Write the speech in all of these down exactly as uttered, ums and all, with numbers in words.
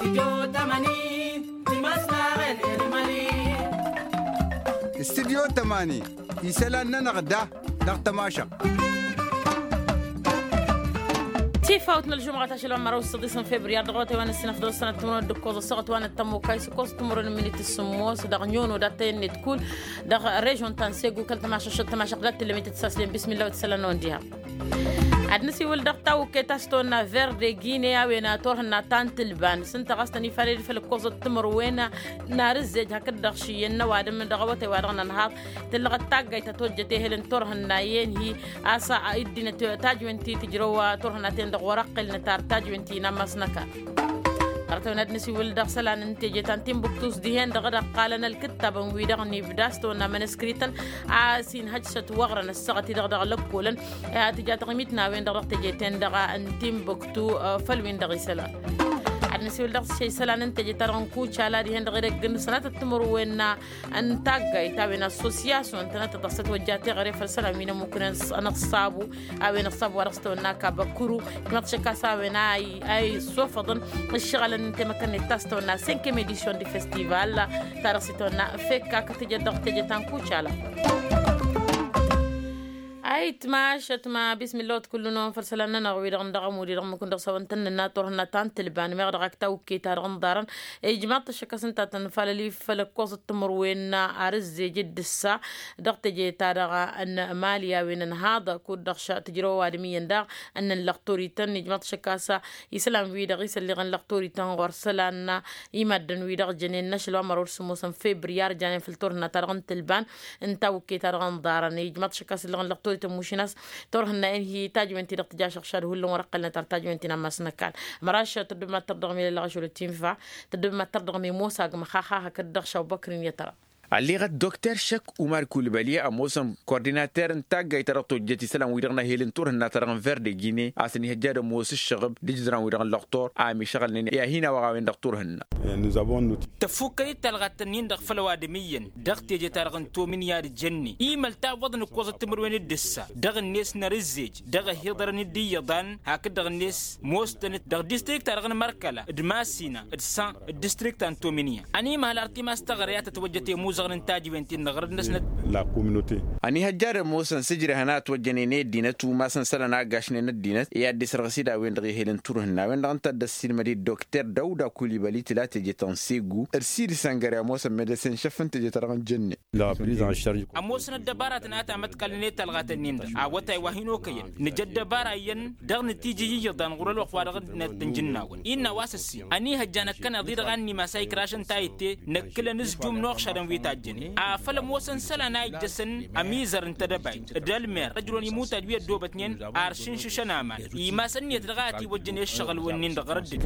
Studyo tămani isălan-nănăɣ da dăɣ-tămašăɣt. Tifawt n-ălžumɣa tašăl wa n-măraw s-săḍisăn febriyar dăɣ-awătay wa n-ăssinăf dăɣ-sănăt timărwen d-ǝkkoẓ ăssaɣăt wa n-ăttămokay s-ǝkkoẓ timărwen n-minit s-sǝmmos dăɣ-nyono dat-tăyăn-net kull dăɣ-režon ta n-segu kăl-tămašăɣt tămašăɣt dat-tǝllăm itǝssaslen bismillah wa t-isălan-năwăn diha. Ad-nǝsiwǝl dăɣ-tawǝkket a-s tăwănna verde gine a-wen turhǝnna ta n-tǝlban s-ǝnta ɣas tăn-ifaled făll-ǝkkoẓăt timărwen n-arǝzzej hakd-dăɣ šǝyyăn n-ăwadǝm dăɣ-awătay wa dăɣ-nănhaḍ tǝllăɣăt taggayt ta tojjăt ehăl n-turhǝnna i-ănhi a-s dd-inăt tajwen ti tǝjrăw turhǝnna-ten-dăɣ wăr-ăqqel nǝtar tajwen ti n-ammas n-ăkall. Ărătăwăn ad-nǝsiwǝl dăɣ-isălan n-teje ta n-timbuktu s-dihen-dăɣ d-ăqqalăn ălkǝttabăn-wi-dăɣ n-ibda s-tăwănna mănăskrităn a-s inhăj s-ătwăɣrăn ăssaɣăt-i-dăɣ dăɣ-lăkkolăn. Tǝja taɣimit n-a-wen-dăɣ dăɣ-teje-ten-dăɣ n-timbuktu făll-win-dăɣ isălan. Ad-nǝsiwǝl dăɣ-s isălan n-teje-ta-dăɣ n-kucala dihen-dăɣ edăgg n-sănatăt timǝrwen n-taggayt a-wen assosyasyon tănăt-tăt dăɣ-s ătwăjja teɣăre făll-isălan wi n-ămmukǝnen ănăṣṣabu a-wen ăṣṣabu wa dăɣ-s tăwănna kabăkuru. Ijmăḍ šăkk a-s a-wen a issofăḍăn ǝššăɣălăn n-temăkănnet ta s-tăwănna senkem edisyon di festival ta dăɣ-s ităwănna fekka kătǝjăt dăɣ-teje ta n-kucala. Ayǝtmaš ătma bismillah wa t-kull-năwăn făll-isălan-nănăɣ wi-dăɣ n-dăɣ-ămud i-dăɣ mukǝn dăɣ-s a-wăn tăn-nǝnna turhǝnna ta n-tǝlban meɣ dăɣ-ak tawǝkket-ta-dăɣ n-iḍarăn. Ijmaḍ-t ăššăk a-s ǝnta a tăn-nǝfalăl i-făll-ǝkkoẓăt timǝrwen arǝzzej d-ǝssa dăɣ-teje-ta-dăɣ n-mali a-wen ănhaḍ kud-dăɣ tǝjrăw ăwadǝm iyyăn daɣ ǝnnăn lăɣtorităn ijmaḍ-t ăššăk a-s isălan-wi-dăɣ isălliɣăn lăɣtorităn ɣur-isălan i-maddǝn-wi-dăɣ jănen n-ašăl wa n-măraw d-sǝmmosăn febriyar janen făll-turhǝnna ta dăɣ-n tǝlban n-tawǝkket-ta-dăɣ n-iḍarăn ijmaḍ-t ăššăk a-s ǝllăɣăn lăɣtorităn mušin a-s turhǝnna-en hi tajwen-ti-dăɣ tǝjašăɣ šad hullan wăr-ăqqălnăt ar tajwen-ti n-ammas n-ăkall. Măraš tăddub mad-tărdăɣmi lălăɣ ašăl tinfa tăddub mad-tărdăɣmi mosa agmăx xaxa hakd-dăɣ šawbăkrin i-tăra. Ălleɣăt dokter šăkk umar kulbăli ămoosăn kordinater n-taggayt-ta-dăɣ tojjăt isălan-wi-dăɣ n-ehel n-turhǝnna-ta-dăɣ n-verde gine a-s ănihăjja ad-ămoos ǝššăɣǝb d-ijǝdran-wi-dăɣ n-lăɣtor a ămišăɣălnen i-ad-hin-awăɣ a-wen-dăɣ turhǝnna. Tăffukkăyăt talɣat-tăn-in-dăɣ făll-ăwadǝm iyyăn dăɣ-teje-ta-dăɣ n-tomin i-ad-jănnen imăl tawwăḍăn ǝkkoẓăt timǝrwen d-ǝssa dăɣ-net n-arǝzzej dăɣ-ăhiḍărăn d-iyyăḍan hakd-dăɣ-net moos-tăn-dd dăɣ-distrikt-ta-dăɣ n-mărkăla d-masina d-san d-distrikt ta n-tomin iyyăn ănimăhăl ar timas teɣăre a tătwăjjăt i-imuzăɣăn n-tajwen-ti n-iɣrǝd-năsnăt. Ănihăjja ad-ămoosăn s-ǝjrehăn a ătwăjjănen i-ăddinăt umasăn isălan a ăggašnen ăddinăt i-ad-dd-isrăɣ s-dd a-wen-dăɣ ehel n-turhǝnna a-wen-dăɣ ǝnta a dd-ăssiilmăd i-dd dokter dăwda kulibăli tǝla teje-tăn segu ărsir isăngăre ămoosăn medăsen šăff n-teje-ta-dăɣ n-jănne. Ămoosăn ăddăbaratăn a tamătkalnen i-talɣatăn-in-dăɣ awătay wa hin-okăyăn nǝja ăddăbara iyyăn dăɣ-nǝtijǝy iyyăḍan ɣur-ălwăqq wa dăɣ-năttănjǝnnawăn innă a-wa s-ăssin ănihăjja năkkăneḍ-i-dăɣ a ănnimas a ikrašăn tayǝtte năkkǝlăn ǝzjum n-oɣšadăn wi tajjănen afăl ămoosăn isălan a ijjăsăn ămizăr n-tedăbayt d-ălmer ăjrăwăn imutaj wi ăddoobătnen ar šǝnšǝšăn aman imas ǝnniyăt dăɣ-a ătiwăjjăn i-ǝššăɣǝl-wǝnnin-dăɣ ɣărăddǝn.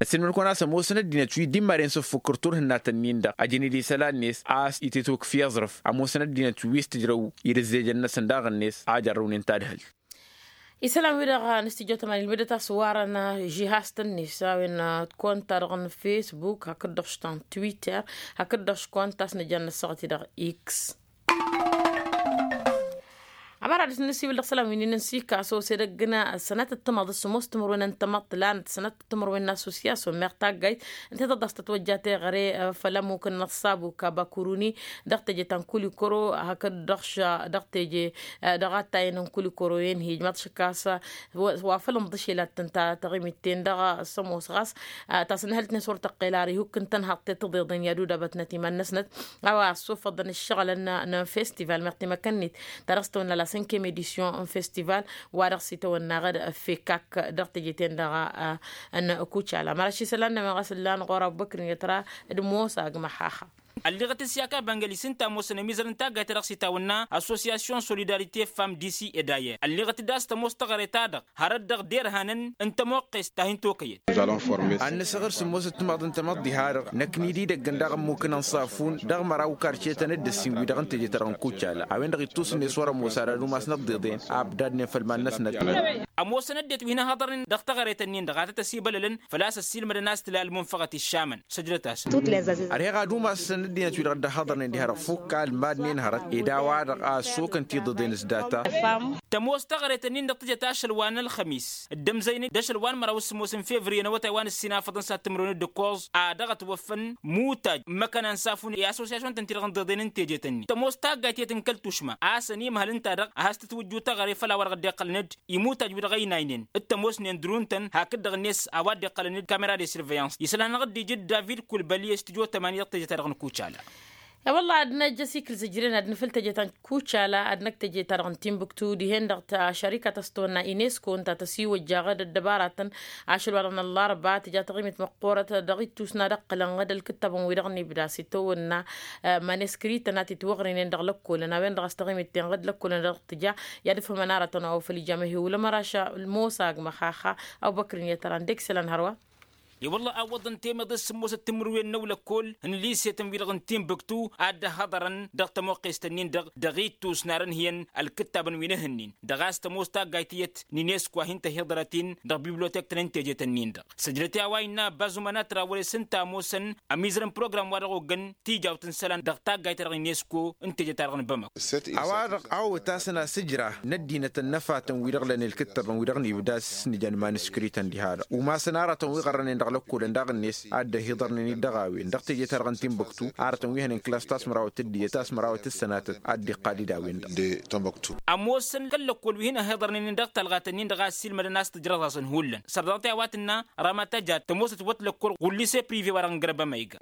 Ăssiilmăd-kăwăn a-s ămoosăn ăddinăt wi dd-immaren s-ǝffukǝr turhǝnna-tăn-in-dăɣ ăjăned isălan-net a-s itǝtwǝkf i-aẓrǝf ămoosăn ăddinăt wi s-tǝjrăw idǝzzejăn-năsăn daɣ-net a ăjărrăwnen tadhǝlt. Isălan-wi-dăɣ n-astijjo tămani ǝlmǝdăt a-s warăn žihaz-tăn-net a-wen t-konta-dăɣ n-fesbuk hakd-dăɣ s-ta n-twitter hakd-dăɣ s-konta a-s nǝjan n-ăssaɣăt-i-dăɣ x. Ămăra dăɣ-s nǝsiwǝl dăɣ-isălan wi n-inǝnsika s-osedăgg n-sănatăt timăḍ s-sămoos timărwen n-tamăḍt lanăt sănatăt timărwen n-assosyasyon meɣ taggayt ǝnta i-tăḍas tătwăjja teɣăre făll-ămmuk n-inăṣṣabu kabakuruni dăɣ-teje ta n-kulikoro hakd dăɣ-teje dăɣ-attayăn n-kulikoro-en hi-ijmaḍ šăkk a-s wa făl ǝnḍǝšel ad-tǝnta taɣimit-ten-dăɣ s-ămoos ɣas ta s-ǝnhălt-net wăr tăqqel ar ihuk n-tănhaḍt ti tǝḍeḍen i-ad-udabătnăt iman-năsnăt a-wa ăssofăḍăn ǝššăɣǝlăn n-festival meɣ timăkănnit ta dăɣ-s tăwănna la sănkem edisyon n-festival wa dăɣ-s itawănna ɣǝd fekak dăɣ-teje-ten-dăɣ n-kucala măraš isălan-nămăɣ a-s ǝllan ɣur-abubăkr n-iyyăt ra d-mosa agmăxaxa. Ălliɣăt s-i-akabangălis ǝnta ămoosăn ămizăr n-taggayt ta dăɣ-s itawănna associasyon solidarite fam disi edayer ălliɣăt-dd a-s tămoos teɣăre-ta-dăɣ hărăt dăɣ-derhanăn n-tămoqqest ta hin-tokăyăt. Ad-nǝsăɣ ǝrsǝmmos d-timăḍ n-tamăḍt diha-dăɣ năkk n-dd-idăggăn daɣ ămmuk n-ănṣafun dăɣ-măraw karcetăn d-ǝssin-wi-dăɣ n-teje-ta-dăɣ n-kucala a-wen-dăɣ ittus-net wăr-ămoos ad-ad-umasnăt ḍeḍen abdadnen făll-iman-năsnăt. ămoosăn ăddinăt wi hin-ăhhăḍărnen dăɣ-teɣăret-ǝnnin-dăɣ a tăt-ăsibălălăn făl-a-s ăssiilmădăn a-s tǝla ălmunfăɣăt iššamăn. Săjdăt-asăn. Ărheɣ ad-umasăn ăddinăt-wi-dăɣ dd-ăhhăḍărnen diha-dăɣ fukk almad-nen hărăt ed a-wa-dăɣ a ăssokăn tiḍeḍen s-data. Tămoos teɣăret-ǝnnin-dăɣ tǝjăt ašăl wa n-ălxămis dd-ămzăynen d-ašăl wa n-măraw s-sǝmmos n-fevriye n-awătay wa n-ǝssin afăḍăn s-ad-tǝmrǝwen d-ǝkkoẓ a dăɣ-ătwăffăn mutaj n-imăkăna n-safun i-asosyasyun-tăn-ti-dăɣ n-iḍeḍen n-tejet-ǝnnin tămoos taggayt iyyăt n-kăl-tušma a-s ănimhăl ǝnta-dăɣ a has-tǝtwǝjju teɣăre făll-a-wa-dăɣ dd-iqqălăn-dd imutaji-wi-dăɣ ăynaynen d-tămoosnen drun-tăn hakd-dăɣ-net a-wa dd-iqqălăn-dd kamera de surveillance isălan-anăɣ-dd-ija d-david kulbăli s-tijo tămani dăɣ-tejet-ta-dăɣ n-kucala. I-wălla ad-năj ăsikǝl s-ǝjrǝyăn ad-nǝfǝl teje ta n-kucala ad-năj teje ta dăɣ-n timbuktu dihen-dăɣ ta šărikat a-s tăwănna inesko ǝnta tăsiwăjja aɣăd ăddăbaratăn ašăl wa dăɣ-năllarba tǝja taɣimit măqqoorăt dăɣ-ittus n-ad-ăqqǝlăn ɣǝd ălkǝttabăn-wi-dăɣ n-ibda s-itawănna. Maneskrităn a t-itwăɣrǝynen dăɣ-lăkkolăn a-wen-dăɣ a-s taɣimit-ten ɣǝd lăkkolăn dăɣ-tǝja i-ad-ǝfhǝmăn aratăn a-wa făl ija măhewǝlăm ăraš ălmosa agmăx. Axa awbăkrin i-ad-tăran dek isălan hărwa. I-wălla awwăḍăn temeḍe s-sǝmmosăt timǝrwen n-ăwlăkkol n-lisetăn-wi-dăɣ n-timbuktu a dd-ăhhăḍărăn dăɣ-tămuqqest-ǝnnin-dăɣ dăɣ-ittus n-ad-ănhǝyăn ălkǝttabăn wi n-ehǝnnin dăɣ-a-s tămoos taggayt iyyăt n-inesko a hin-tăhiḍărăt-in dăɣ-bibliotek-tăn n-tejet-ǝnnin-dăɣ. Săjdăt i-a-wa innă ăbba zuman a tărawăre s-ǝnta ămoosăn ămizărăn program-wa-dăɣ oggăn tijawt n-isălan dăɣ-taggayt-ta-dăɣ n-inesko n-teje-ta-dăɣ n-bamăko. A-wa-dăɣ a ăwwăt-asăn asǝjra n-ăddinăt ănnăfatăn-wi-dăɣ lănen ǝlkǝttăbăn-wi-dăɣ n-ibda s-nǝjăn maniskrităn diha-dăɣ umasăn aratăn wi ɣărrănen dăɣ-lăkkolăn daɣ-net a dd-ăhiḍărnen-dd dăɣ-a-wen dăɣ-teje-ta-dăɣ n-timbuktu aratăn wi hănen klas ta s-mărawăt d-iyyăt a s-mărawăt d-sănatăt a dd-iqqal-dd a-wen-dăɣ. Ămoosăn kăl-lăkkol wi hin-ăhiḍărnen-in dăɣ-talɣat-ǝnnin-dăɣ a ăssiilmădăn a-s tǝjrăẓ-asăn hullan sărdăɣ-t i-a-wa tǝnna ramata jat tămoosăt wăt lăkkol ɣulli-se prive wa-dăɣ n-gărbăm a iga.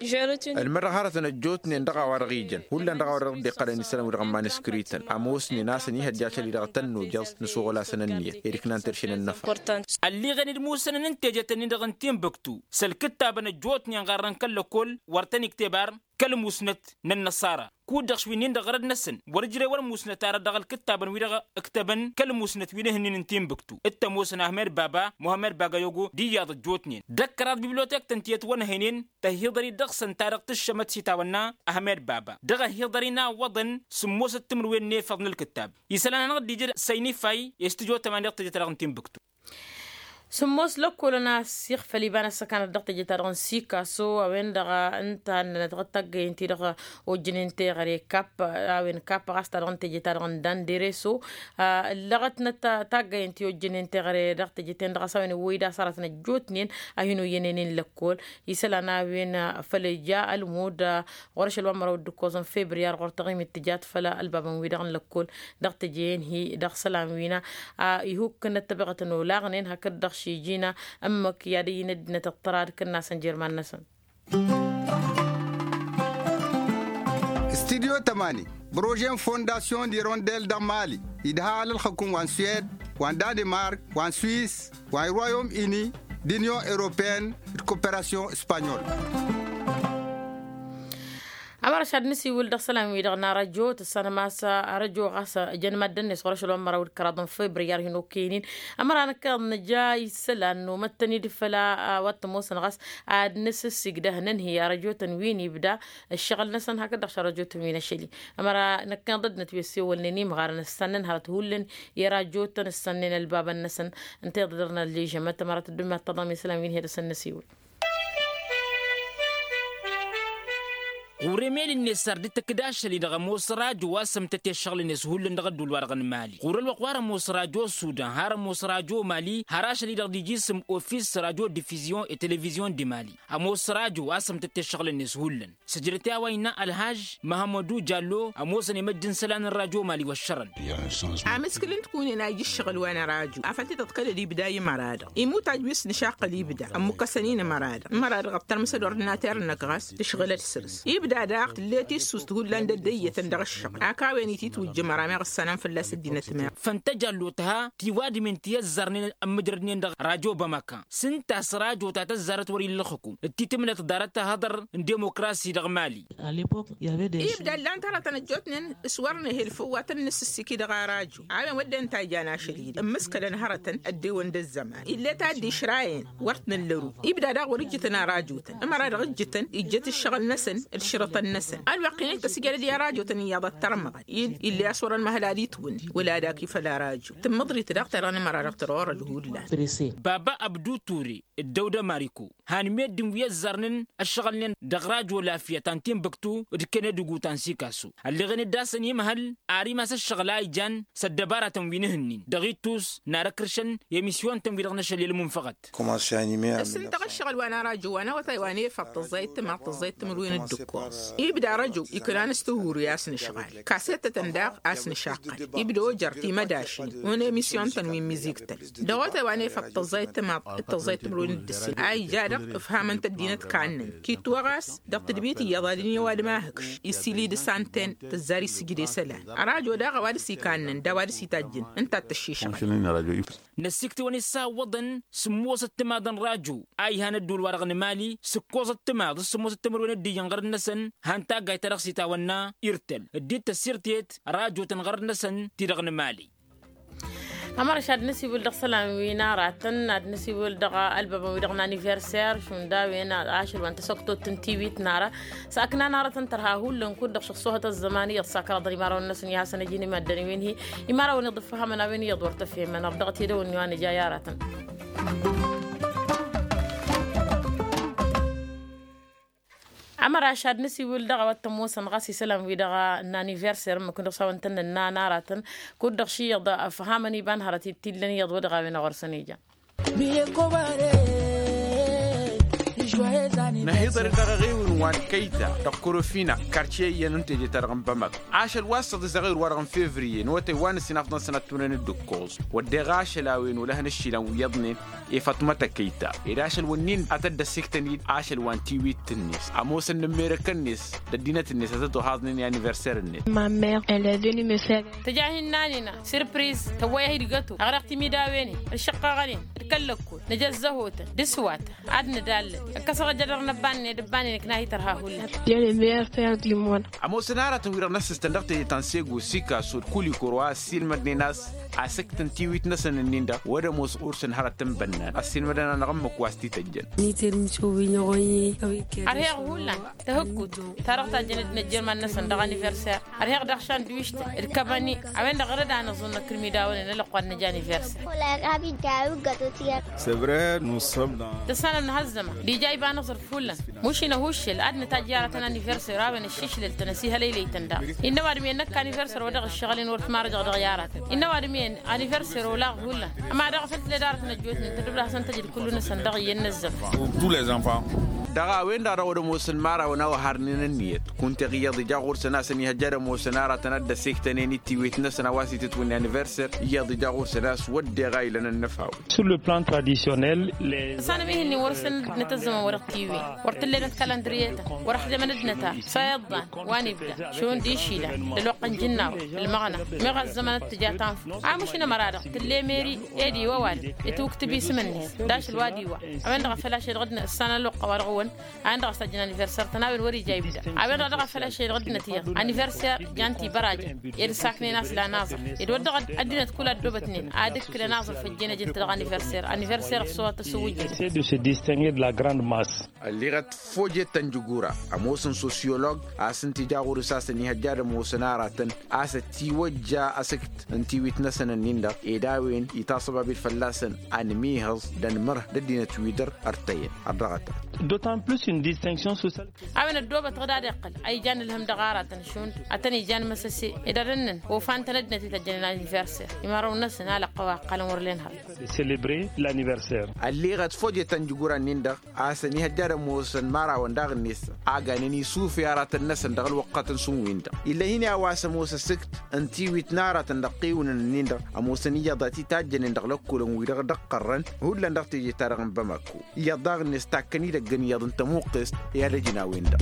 Ălmădăɣ hărătăn ăjjootnen dăɣ-a-wa-dăɣ ijăn hullan dăɣ-a-wa-dăɣ dd-iqqălăn isălan-wi-dăɣ n-maniskrităn ămoosnen a-s ănihăjja ašăl-i-dăɣ tănnojăẓ n-asăɣol-asăn ǝnniyăt ed-iknan terše n-ănnăfa. Ălliɣen d-imusănăn n-tejet-ǝnnin-dăɣ n-timbuktu s-ălkǝttabăn ăjjootnen ɣarrăn kăl-lăkkol wăr tăn-ikteb ar kăl-musnăt n-ănnăṣara kud-dăɣ šwin-in-dăɣ ɣărăd-năsăn wăr-ǝjrewăn musnăt ara dăɣ-ălkǝttabăn-wi-dăɣ ǝktăbăn kăl-musnăt wi n-ehǝnnin n-timbuktu d-tămoosăn ahmed baba muhammed bagayogo d-iyyăḍ ăjjootnen d-ăkkăraḍ bibliotek-tăn tiyyăt wăn-ehăynen tăhiḍăr-i dăɣ-săn ta dăɣ-tǝššămăt s-itawănna ahmed baba dăɣ-ăhiḍăr-i n-a ǝwwăḍăn sǝmmosăt timǝrwen n-efăḍ n-ălkǝttab. Isălan-anăɣ-dd-ija săynifay i-s tǝjo tămani dăɣ-teje-ta-dăɣ n-timbuktu. Sǝmmos lăkkolăn a ăssiixfăl iba n-ăssăkanăt dăɣ-teje-ta-dăɣ n-sikaso a-wen-dăɣ ǝnta a ǝnnănăt taggăyen-ti-dăɣ ojjǝnen teɣăre kapp a-wen kapp ɣas ta dăɣ-teje-ta-dăɣ n-dandereso. Ǝllăɣătnăt taggăyen-ti ojjǝnen teɣăre dăɣ-teje-ten-dăɣ a-s a-wen iwwăy d-asăratăn ăjjootnen a hin-oyyănen-in lăkkol isălan a-wen făll-ija ălmud ɣur-ašăl wa n-măraw d-ǝkkoẓăn febriyar ɣur-taɣimit tǝjat făll-ălbabăn-wi-dăɣ n-lăkkol dăɣ-teje-en-hi dăɣ-isălan wi n-a ihukkǝnăt tăbeɣăt n-olaɣnen hakd-dăɣ šijina ǝmmǝk i-ad-ăyy n-ăddinăt ăṭṭăra d-kǝnnasăn jer-iman-năsăn. Studyo tămani brože n-fondasyon d-irondel dăɣ-mali idha alălxăkun wa n-suwed wa n-danimark wa n-swis wa n-royom ini d-inyon europeyăn d-koperasyon spanyol. Ămăra šad nǝsiwǝl dăɣ-isălan-wi-dăɣ n-arăjo tǝssanăm a-s arăjo ɣas jăn maddǝn-net ɣur-ašăl wa n-măraw d-kăraḍ n-febriyar hin-okăyăn-in ămăra năkkeḍ nǝja isălan nomăt-tăn-dd făll-a-wa t-ămoosăn ɣas ad-nǝsǝssigdăh nǝnhǝy arăjo-tăn wi n-ibda ǝššăɣǝl-năsăn hakd-dăɣ šarăjo-tăn wi n-ašăl-i. Ămăra năkkeḍ ăddinăt wi ăssewălnen imɣarăn ǝssannăn hărăt hullan i-arăjo-tăn ǝssannăn ălbabăn-năsăn. Ǝnta iḍa dăr-nălležămăt ămăra tăddumat taḍam isălan wi n-hi-dăɣ săn năsiwǝl. Ɣur-emel-net ar dd-tǝkkǝd ašăl-i-dăɣ ămoos rajo a-s ămtăt i-ăššăɣǝl-net hullan dăɣ-ădduul-wa-dăɣ n-mali ɣur-ălwăqq wa dăɣ-ămoos rajo sudan har ămoos rajo mali har ašăl-i-dăɣ d-ija isǝm ofis rajo divizyon e televizyon di mali. Ămoos rajo a-s ămtăt i-ăššăɣǝl-net hullan săjdăt i-a-wa innă ălhaj măhămmădu jallo ămoosăn imăjj n-isălan n-rajo mali wăššărăn. Amǝskǝl n-tikunen a ija ǝššăɣǝl wa n-rajo afăl tităḍkălăd ibda i-măra-dăɣ imutaj wi s-nǝšaqqăl ibda ămmukkăsăn-in ămăra-dăɣ ămăra-dăɣ ăṭṭărmǝsăd ordinater-năk ɣas tǝšɣǝlăd săr-s ibda daɣ tǝllet issust hullan d-ăddăyyătăn dăɣ-ǝššăɣǝl a kawăn-ititwǝjjǝm ăramăɣ ǝssanăn fălla-s ăddinăt meɣ. Făntăj allo tǝha tiwadǝm-in ti ăzzarnen ămmǝjrădnen dăɣ-rajo bămăka s-ǝnta a-s rajo ta tăzzarăt wăr-illa ălxǝkum d-titǝmnăt ḍarăt ahăḍăr n-demokrasi dăɣ-mali. Ibda ǝllan-t hărătăn ăjjootnen s-wăr nǝhǝl făw wa tăn-nǝsǝssiki dăɣ-arajo a-wen wădden ta ijan ašăl-i-dăɣ ǝmmǝskălăn hărătăn ăddewăn d-ăzzăman ill'-e ta dd-išrayăn wăr t-nǝllăru. Ibda daɣ wăr-ǝjjǝtăn arajo-tăn ămăra dăɣ-ǝjjǝtăn ijjăt ǝššăɣǝl-năsăn. Tănăsăn alwăqq-in-i tăsjădăd i-arajotăn iyyăḍ ad-tărmăɣăn-in. Ill'-i a-s wărăn măhăl ad-itwǝnni wăla ad-ak ifăl araju. Tǝmmăḍrit daɣ ta dăɣ-nǝmăra dăɣ-tărorăd hullan. Baba abdu ture, dd-ăwdă mariko han meddǝn wi ăzzarnen ăššăɣǝlnen dăɣ-rajo lafiyăt ta n-tinbǝktu d-kenedǝgu ta n-sikasu. Ălleɣen-dd a-s ănimhăl ar imas ăššăɣǝl a ijan s-ăddăbaratăn wi n-ehǝnnin dăɣ-ittus n-arăkrǝšăn i-emisyun-tăn wi-dăɣ n-ašăl i-ălmunfăɣăt. Ǝssǝntăɣ ăššăɣǝl wa n-arajo wa n-awătay wa n-efăḍ tăẓẓayăt timaḍ tăẓẓayăt timǝrwen d-ǝkkoẓ. Ibda arăjo iknan s-tihuri a-s nǝšɣal kasettătăn daɣ a-s nǝšaqqăl. Ibda ojăr timădašin un-emisyun-tăn wi n-miziktăn dăɣ-otay wa n-efăḍ tăẓẓayăt timaḍ d-tăẓẓayăt timǝrwen d-ǝssin a ija-dăɣ ǝfhamăn-t ăddinăt kannăn. Kitwăɣ a-s dăɣ-tǝdbit iyyăḍ ad-ǝnni ăwadǝm a hǝkš isili d-santen tǝzzar isǝjǝd i-isălan. Ărajo daɣ a-wa dăr-s ikannăn d-a-wa dăr-s itajjǝn ǝnta a t-ăššišăɣăl. Năssiktǝwăn isawwăḍăn sǝmmosăt timaḍăn rajo a ihan ădduul-wa-dăɣ n-emali s-ǝkkoẓăt timaḍ s-sǝmmosăt timǝrwen d-iyyăn ɣărăt-năsăn. Han taggayt ta dăɣ-s itawănna irtăl dd-tăssirtet rajotăn ɣărăt-năsăn ti-dăɣ n-emali. Ămărăš ad-nǝsiwǝl dăɣ-isălan wi n-aratăn ad-nǝsiwǝl dăɣ-ălbăbăn wi-dăɣ n-aniverser šund a-wen ašăl wa n-tasăktot n-tiwit n-ara. S-aknan aratăn tărha hullan kud-dăɣ šăxsohăt ăzzăman iyyăḍ s-akăraḍăn imărawăn-năsăn i-hasăn ăjin i-maddănen wi n-hi-imărawăn iḍǝffăhămăn a-wen iyyăḍ wăr tăfhemăn ărdăɣăt i-dăwănni wa n-ija i-aratăn. Ămăraš ad-nǝsiwǝl dăɣ-a-wa t-ămoosăn ɣas isălan-wi-dăɣ n-aniverser ǝmmǝk-dăɣ s-a-wa ǝntănnăn n-aratăn kud-dăɣ ši iyyăḍ ăfhamăn iba n-hărăt ittillăn iyyăḍ wa dăɣ-a-wen ăɣur-săn ija. Năhiḍăr-dd dăɣ-eɣewǝn wa n-kăyta dăɣ-korofina kartiye iyyăn n-teje-ta-dăɣ n-bamăk. Ašăl wa s-săḍisăɣ ewǝr-wa-dăɣ n-fevriye n-otăy wa n-ǝssin afḍăn sănăt tunăn-dd ǝkkoẓ wădden ašăl a-wen olăhăn ǝššilăn wi iyyăḍnen i-făṭmăt ăkăyta. Ed ašăl wǝnnin ad-tăt-dd-ăssiktăn-dd ašăl wa n-tiwit-net ămoosăn n-ămmerekăn-net d-ăddinăt-net ad-tăt-ohaẓnen i-aniverser-net. Tǝja hin-nanină sirpriz tăwwăy-ăhidgătu ăɣreɣ timidawen-in d-išǝqqăɣăn-in d-kăl-lăkkol nǝja ăzzăhotăn d-ǝswatăn ad-nǝdallăt ǝkkăsăɣ ăjădăr n-ăbbannen d-ǝbbannen ǝknahi tărha hullan. Ămoosăn aratăn wi-dăɣ n-ăssistăn dăɣ-teje ta n-sego sikaso d-kulikoro a ăssiilmădnen a-s asǝkt n-tiwit-năsăn-ǝnnin-dăɣ wăr-ămoos ɣur-săn hărăt n-bănnan ăssiilmădăn-anăɣ ǝmmǝk wa s-t-ităjjăn. Ărheɣ hullan tahǝkkut ta-dăɣ tajjăn ăddinăt jerman-năsăn dăɣ-aniverser. Ărheɣ daɣ šandwištăn d-kăbăni a-wen-dăɣ ărăd-anăẓ-unăk irmidawăn-en ălăqqu ad-nǝj aniverser. Tăssanăm nǝha ăzzăman d-ija iba n-aẓrǝf hullan. Mušin ăhuššel ad-nǝtajj i-aratăn aniverser a-wen ăššišlăl-tăn ăsihălăylăy-tăn daɣ. Innă ăwadǝm-i ănnăkk aniverser wa dăɣ-ǝššăɣǝl-in wăr t-marăjăɣ dăɣ-i aratăn innă ăwadǝm-i aniverser olaɣ hullan. Ăma daɣ a făl tǝled aratăn ăjjootnen tădubla hasăn-tăjǝd kullu-năsăn dăɣ-iyyăn n-ăzzăman. Dăɣ-a-wen-dăɣ a dăɣ-wăr-ămoosăn imărawăn a-wa harnen ǝnniyăt kunta iyyăḍ ija ɣur-săn a-s ănihăjja ad-ămoosăn aratăn ad-dd-ăsiktănen i-tiwit-năsăn a-wa s-itǝtwǝnne aniverser. Iyyăḍ ija ɣur-săn a-s wădden a ilăn ănnăfawen. Sur le plan traditionnel le. Tăsanăm ih'-nin wăr-săn năt ăzzăman wăr-ăɣtiwin wăr t-ǝllenăt kalandriyetăn wăr-ăxdămăn ăddinăt a s-a iḍḍan wa n-ibda šund išilan d-ălwăqq n-jǝnnawăt d-ălmăɣna. Meɣ ăzzăman ad-tǝja tanfăt a mušǝn ămăra-dăɣ tǝlle meri ed iwăwal itwǝktǝb isǝm-net d-ašăl wa d-iwa. A-wen-dăɣ a făl ašăl dăɣ-dd-năssan ălwăqq a-wa dăɣ-wăn a-wen-dăɣ a-s tajjăn aniverser-tăn a-wen wăr-ija ibda. A-wen-dăɣ daɣ a făl ašăl dăɣ-dd-năt iyyăḍ aniverser jan tibărajăn ed ǝssaknen a-s la naẓăr ed wăr dăɣ-ăddinăt kull a ăddoobătnen ad-ǝkkǝlăn aẓrǝf ăjjeen ăjǝn-t dăɣ-aniverser aniverser ăṣṣuɣăt tăsǝwǝjjǝn. Essaie de se distinguer de la grande masse. Ălleɣăt fojet ta n-jǝgura ămoosăn sosyolog a-s ǝnta ija ɣur-s a-s ănihăjja ad-ămoosăn aratăn a-s ătiwăjja asǝkt n-tiwit-năsăn ǝnnin-dăɣ ed a-wen itaṣăbab-dd fălla-săn anmihăẓ d-anmărh d-ăddinăt wi dăr-ărtăyăn. Ărdăɣăt. D'autant plus une distinction sociale. A-wen ăddoobăt ɣǝd ad-iqqăl a ijan ǝlhǝm dăɣ-aratăn šund ad-tăn-ijan măsăse ed ad-ănnăn ofan-tăn ăddinăt wi tăjjănen aniverser imărawăn-năsăn alăqqăw a ǝqqălăn wăr len hărăt. Célébrer l'aniverser. Ălleɣăt fojet ta n-jǝgura-nin-dăɣ a-s ănihăjja ad-ămoosăn imărawăn daɣ-net a ganen isufe aratăn-năsăn dăɣ-ălwăqqătăn šund-win-dăɣ ill'-e-hin i-a-wa s-ămoos ăsǝkt n-tiwit n-aratăn dăɣ-tiwǝnăn-nin-dăɣ ămoosăn iyyăḍ a t-itajjănen dăɣ-lăkkolăn-wi-dăɣ dăɣ-qărrăn hullan dăɣ-teje-ta-dăɣ n-bamako. Iyyăḍ daɣ-net takkăn idăgg n-iyyăḍ n-tămuqqest i-ad-ăjnawen-dăɣ.